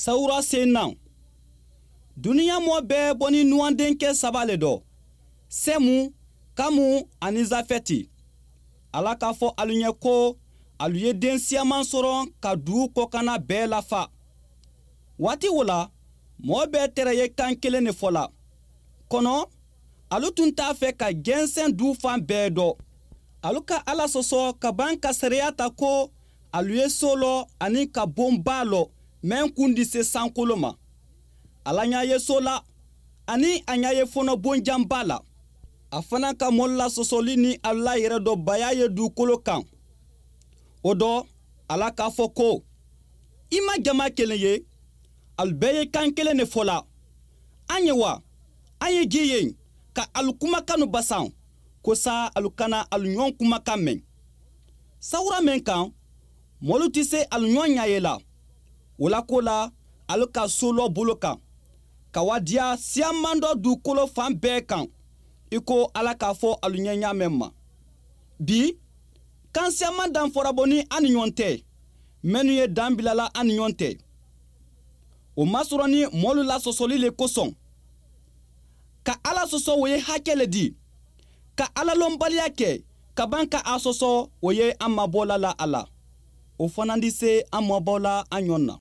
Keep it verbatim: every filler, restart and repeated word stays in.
Sawura senaŋ. Duniya moo bee boni nuwandenkee saba le do, semu, kamu, aniŋ zafeti. Alla ka a fo alu ye ko, alu ye deŋ siyamaŋ soroŋ ka duu kokana bee lafa. Waati wo la, moo bee tere ye kaŋ keleŋ ne fo la. Kono, alu tunta a fe ka genseŋ duu faŋ bee do. Alu ka alla soso ka baŋ ka sariya ta ko, alu ye sooloo aniŋ ka boŋ baa lo, meŋ kundi se sankoloo ma. Alla ñaa ye soo la, aniŋ a ñaa ye fono boŋ jaŋ baa la. A fanaa ka moolu la sosoli niŋ alu la yere do bayaa ye duukolo kaŋ. Wo do, alla ka a fo ko, i maŋ jamaa keleŋ ye, alu bee ye kaŋ keleŋ ne fo la. A ñe wa, a ye jii ye ka alu kumakanu basaŋ, ko saa alu kana alu ñoŋ kumakan meŋ. Sawura meŋ kaŋ, moolu ti se alu ñoŋ ñaaye la. Wo la koo la, alu ka sooloo bulu kaŋ, ka wa diya siyamandoo duukoloo faŋ bee kaŋ, i ko alla ka a fo alu ñee ñaameŋ ma. Bii, kaŋ siyamandaŋ fora boni a ni ñoŋ te, mennu ye daŋ bila la a ni ñoŋ te. Wo maŋ soroŋ niŋ moolu la sosoli le kosoŋ. Ka alla soso wo ye hakkee le dii. Ka alla lombaliyaa ke ka baŋ ka a soso, wo ye a maaboo la la a la. Wo fanandi se a maaboo la a ñoŋ na.